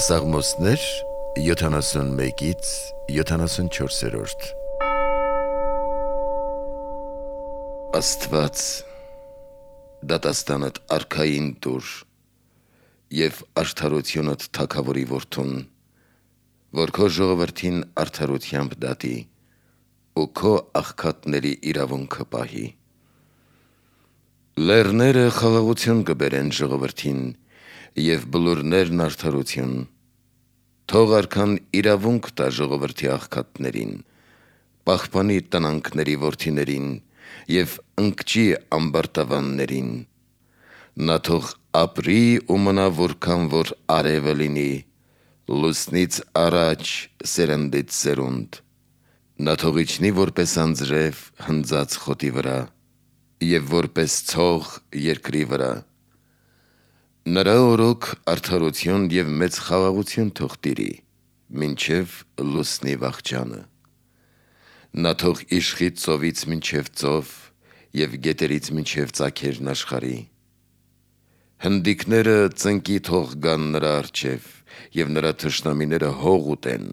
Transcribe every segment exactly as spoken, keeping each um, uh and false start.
Սաղմոսներ յոթանասունմեկից յոթանասունչորսերորդ Աստված դատաստանդ արքային տուր և արդարությունդ թագավորի որդուն, որ քո ժողովրդին արդարությամբ դատի ու քո աղքատների իրավունքը պահի։ Լեռները խաղաղություն կբերեն ժողովրդին և բլուրներն արդարություն, թող արքան իրավունք տա ժողովրդի աղքատներին, պահպանի տնանքների որդիներին և ընկճի ամբարտավաններին, նա թող ապրի ու մնա որքան որ արևը լինի, լուսնից առաջ սերնդից սերունդ, նա թող իջնի որպես անձրև հնձած խոտի վրա և որպես ցող երկրի վրա, նրա օրոք արդարություն և մեծ խաղաղություն թող տիրի մինչև լուսնի վախճանը, նա թող իշխի ծովից մինչև ծով և գետերից մինչև ծագերն աշխարհի, հնդիկները ծնկի թող գան նրա առջև և նրա թշնամիները հող ուտեն,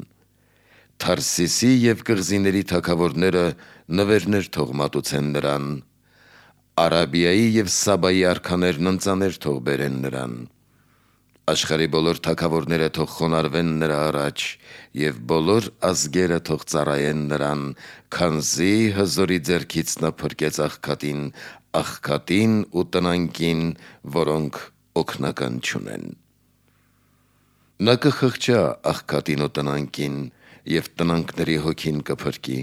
Թարսիսի և կղզիների թագավորները նվերներ թող մատուցեն նրան, Արաբիայի և Սաբայի արքաներն ընծաներ թող բերեն նրան, աշխարհի բոլոր թագավորները թող խոնարհվեն նրա առաջ և բոլոր ազգերը թող ծառայեն նրան, քանզի հզորի ձեռքից նա փրկեց աղքատին, աղքատին ու տնանքին, որոնք օգնական չունեն։ Նա կխղճա աղքատին ու տնանքին և տնանքների հոգին կփրկի,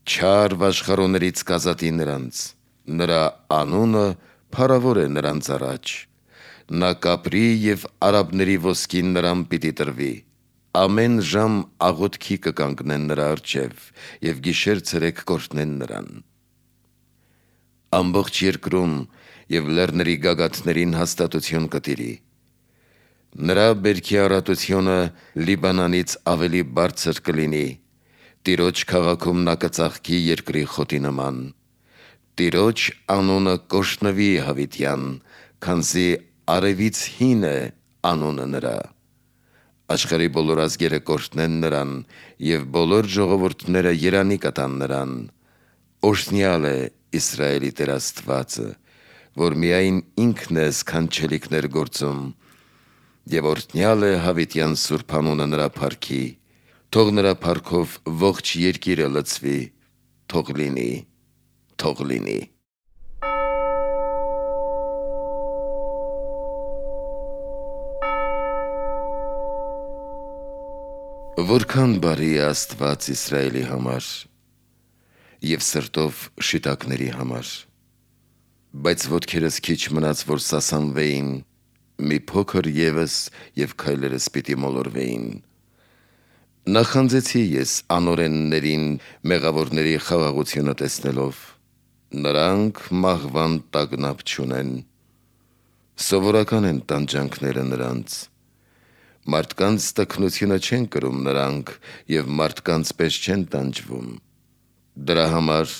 չար վաշխառոներից կազատի նրանց, նրա անունը փառավոր է նրանց առաջ, նա կապրի և արաբների ոսկին նրան պիտի տրվի, ամեն ժամ աղոթքի կկանգնեն նրա առջև և գիշեր-ցերեկ կօրհնեն նրան։ Ամբողջ երկրում և լեռների գագաթներին հաստատություն կտիրի, նրա բերքի առատությունը Լիբանանից ավելի բարձր կլինի, Տիրոջ քաղաքում նա կծաղկի երկրի խոտի նման, Տիրոջ անունը կօրհնվի հավիտյան, քանզի արևից հին է անունը նրա, աշխարհի բոլոր ազգերը կօրհնեն նրան և բոլոր ժողովուրդները երանի կտան նրան, օրհնյալ է Իսրայելի Տեր Աստվածը, որ միայն ինքն է սքանչելիքներ գործում, և օրհնյալ է հավիտյան սուրբ անունը նրա փառքի, թող նրա փառքով ողջ երկիրը լցվի, թող լինի, թող լինի։ Որքան բարի է Աստված Իսրայելի համար և սրտով շիտակների համար, բայց ոտքերս քիչ մնաց, որ սասանվեին, մի փոքր ևս և քայլերս պիտի մոլորվեին։ Նախանձեցի ես անօրեններին մեղավորների խաղաղությունը տեսնելով, նրանք մահվան տագնապ չունեն, սովորական են տանջանքները նրանց, մարդկանց տքնությունը չեն կրում նրանք և մարդկանց պես չեն տանջվում, դրա համար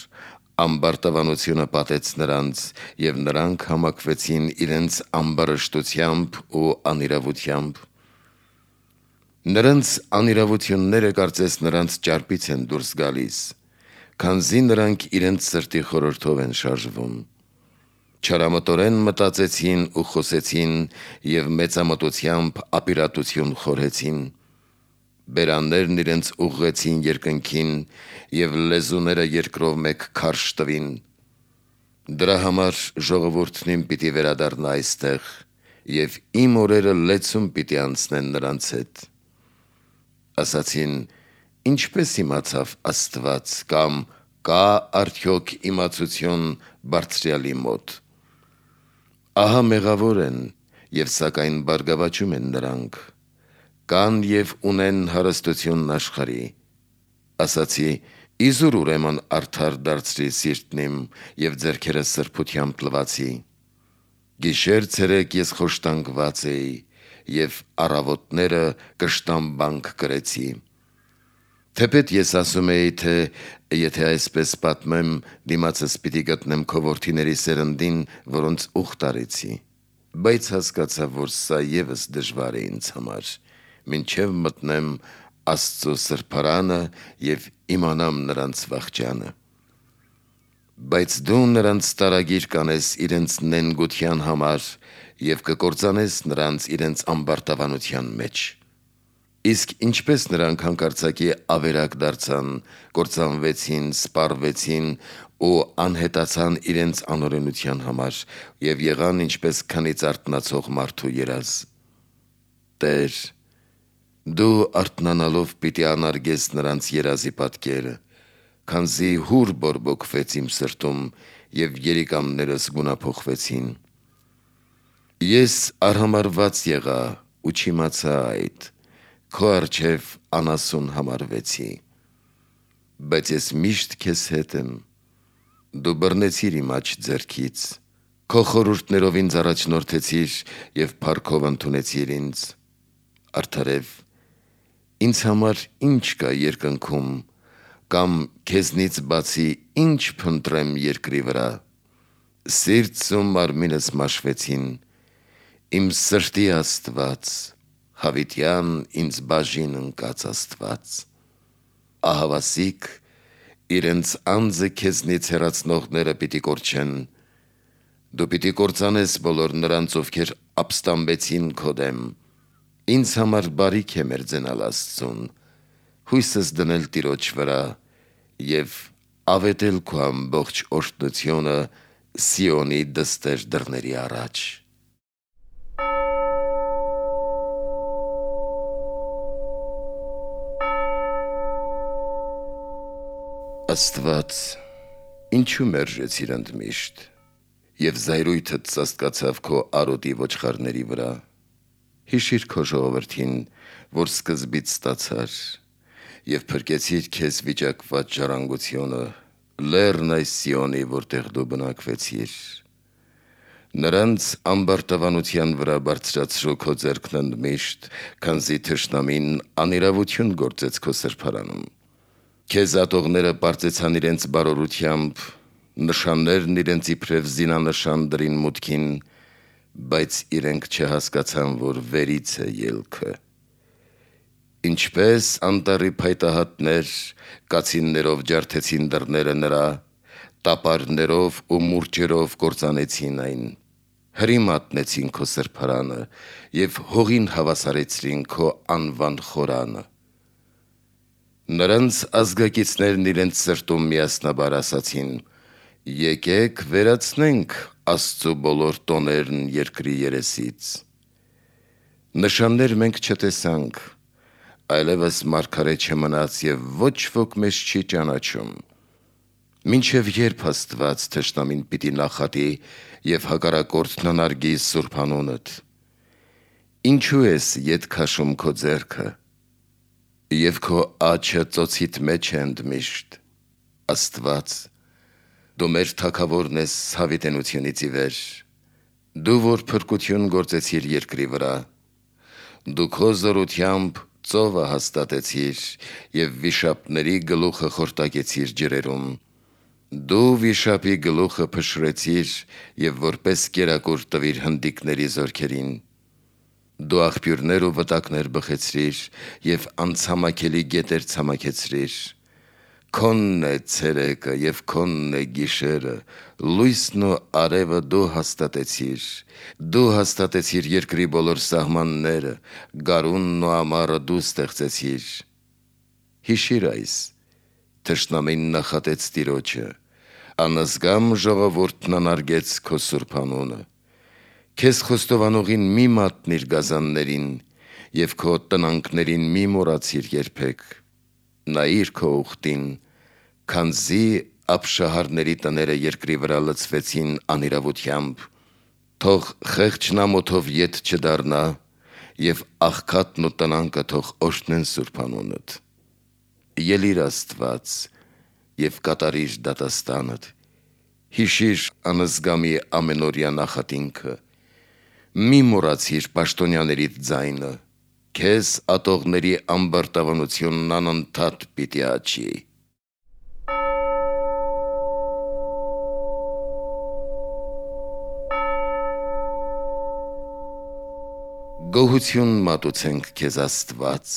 ամբարտավանությունը պատեց նրանց և նրանք համակվեցին իրենց ամբարշտությամբ ու անիրավությամբ, նրանց անիրավությունները կարծես նրանց ճարպից են դուրս գալիս, քանզի նրանք իրենց սրտի խորհրդով են շարժվում, չարամտորեն մտածեցին ու խոսեցին և մեծամտությամբ ապիրատություն խորհեցին, բերաններն իրենց ուղղեցին երկնքին և լեզուները երկրով մեկ քարշ տվին, դրա համար ժողովուրդն իմ պիտի վերադառնա այստեղ և իմ օրերը լեցուն պիտի անցնեն նրանց հետ։ Ասացին. ինչպե՞ս իմացավ Աստված, կամ կա՞ արդյոք իմացություն Բարձրյալի մոտ։ Ահա մեղավոր են և սակայն բարգավաճում են նրանք, կան և ունեն հարստությունն աշխարհի, ասացի. իզուր ուրեմն արդար դարձրի սիրտն իմ և ձեռքերս սրբությամբ լվացի, գիշեր-ցերեկ ես խոշտանգված էի և առավոտները կշտամբանք կրեցի, թեպետ ես ասում էի, թե եթե այսպես պատմեմ, դիմացս պիտի գտնեմ քո որդիների սերնդին, որոնց ուխտ արեցի, բայց հասկացա, որ սա ևս դժվար է ինձ համար մինչև մտնեմ Աստծո սրբարանը և իմանամ նրանց վախճանը։ Բայց դու նրանց տարագիր կանես իրենց նենգության համար և կկործանես նրանց իրենց ամբարտավանության մեջ։ Իսկ ինչպես նրանք հանկարծակի ավերակ դարձան, կործանվեցին, սպառվեցին ու անհետացան իրենց անօրենության համար և եղան ինչպես քնից արթնացող մարդու երազ։ Տեր, դու արթնանալով պիտի անարգես նրանց երազի պատկերը, քանզի հուր բորբոքվեց իմ սրտում և երիկամներս գունափոխվեցին։ Ես արհամարհված եղա ու չիմացա այդ, քո առջև անասուն համարվեցի։ Բայց ես միշտ քեզ հետ եմ, դու բռնեցիր իմ աջ ձեռքից, քո խորհուրդներով ինձ առաջնորդեցիր և փառքով ընդունեցիր ինձ։ Արդարև, ինձ համար ի՞նչ կա երկնքում, կամ քեզնից բացի ի՞նչ փնտրեմ երկրի վրա։ Սիրտս ու մարմինս մաշվեցին, իմ սրտի Աստված, հավիտյան ինձ բաժին ընկած Աստված։ Ահավասիկ, իրենց անձը քեզնից հեռացնողները պիտի կորչեն, դու պիտի կործանես բոլոր նրանց, ովքեր ապստամբեցին քո դեմ։ Ինձ համար բարիք է մերձենալ Աստծուն, հույսս դնել Տիրոջ վրա և ավետել քո ամբողջ օրհնությունը Սիոնի դստեր դռների առաջ։ Աստված, ինչու մերժեցիր ընդմիշտ, և զայրույթդ ծածկացավ քո արոտի ոչխարների վրա։ Հիշիր քո ժողովրդին, որ սկզբից ստացար, և փրկեցիր քեզ վիճակված ժառանգությունը, լեռն այս Սիոնի, որտեղ դու բնակվեցիր։ Նրանց ամբարտավանության վրա բարձրացրու քո ձեռքն ընդմիշտ, քանզի թշնամին անիրավություն գործեց քո սրբարանում։ Քեզ ատողները պարծեցան իրենց բարօրությամբ, նշաններն իրենց իբրև զինանշան դրին մուտքին, բայց իրենք չհասկացան, որ վերից է ելքը։ Ինչպես անտառի փայտահատներ կացիններով ջարդեցին դռները նրա, տապարներով ու մուրճերով կործանեցին այն, հրի մատնեցին քո սրբարանը և հողին հավասարեցրին քո անվան խորանը։ Նրանց ազգակիցներն իրենց սրտում միասնաբար ասացին. «Եկեք վերացնենք Աստծու բոլոր տոներն երկրի երեսից»։ Նշաններ մենք չտեսանք, այլևս մարգարե չմնաց և ոչ ոք մեզ չի ճանաչում։ Մինչև ե՞րբ Աստված թշնամին պիտի նախատի և հակառակորդն անարգի սուրբ անունդ։ Ինչու ես ետ քաշում քո ձեռքը, և քո աջը ծոցիդ մեջ է ընդմիշտ։ Աստված, դու մեր թագավորն ես հավիտենությունից ի վեր, դու, որ փրկություն գործեցիր երկրի վրա։ Դու քո զորությամբ ծովը հաստատեցիր և վիշապների գլուխը խորտակեցիր ջրերում։ Դու վիշապի գլուխը փշրեցիր և որպես կերակուր տվիր հնդիկների զորքերին։ Դու աղբյուրներ ու վտակներ բխեցրիր և անցամաքելի գետեր ցամաքեցրիր։ Քոնն է ցերեկը և քոնն է գիշերը, լույսն ու արևը դու հաստատեցիր։ Դու հաստատեցիր երկրի բոլոր սահմանները, գարունն ու ամառը դու ստեղծեցիր։ Հիշիր այս. թշնամին նախատեց Տիրոջը, անազգամ ժողովուրդն անարգեց քո սուրբ անունը։ Քեզ խոստովանողին մի մատնիր գազաններին և քո տնանքներին մի մոռացիր երբեք։ Նայիր քո ուխտին, քանզի ապշահարների տները երկրի վրա լցվեցին անիրավությամբ, թող խեղճն ամոթով ետ չդառնա, և աղքատն ու տնանկը թող օրհնեն սուրբ անունդ։ Ելիր Աստված և կատարիր դատաստանդ, հիշիր անզգամի ամենօրյա նախատինքը։ Մի մոռացիր պաշտոնյաներիդ ձայնը, քեզ ատողների ամբարտավանությունն անընդհատ պիտի աճի։ Գոհություն մատուցենք քեզ Աստված,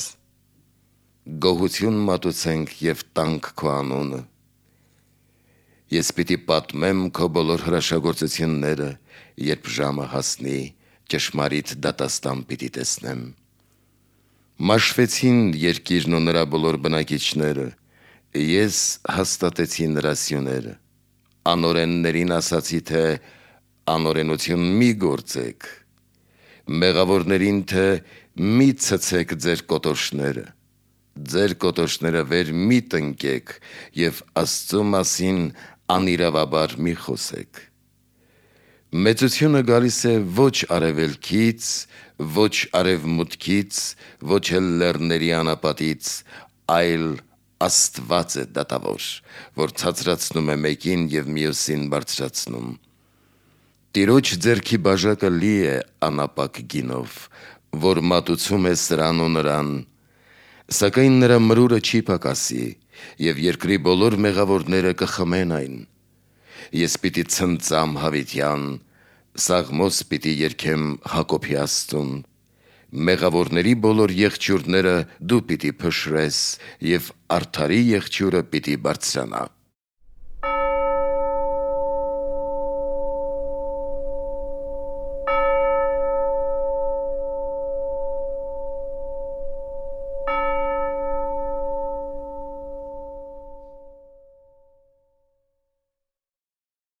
գոհություն մատուցենք և տանք քո անունը։ Ես պիտի պատմեմ քո բոլոր հրաշագործությունները, երբ ժամը հասնի, ճշմարիտ դատաստան պիտի տեսնեմ։ Մաշվեցին երկիրն ու նրա բոլոր բնակիչները, ես հաստատեցի նրա սյուները։ Անօրեններին ասացի, թե անօրենություն մի գործեք, մեղավորներին, թե մի ցցեք ձեր կոտորշները, ձեր կոտորշները վեր մի տնկեք և Աստծու մասին անիրավաբար մի խոսեք։ Մեծությունը գալիս է ոչ արևելքից, ոչ արևմուտքից, ոչ էլ լեռների անապատից, այլ Աստված է դատավոր, որ ցածրացնում է մեկին և մյուսին բարձրացնում։ Տիրոջ ձեռքի բաժակը լի է անապակ գինով, որ մատուցում է սրան ու նրան, սակայն նրա մրուրը չի պակասի, և երկրի բոլոր մեղավորները կխմեն այն։ Ես պիտի ցնծամ Հավիտյան, սաղմոս պիտի երգեմ Հակոբի Աստծուն, մեղավորների բոլոր եղջյուրները դու պիտի փշրես, և արդարի եղջյուրը պիտի բարձրանա։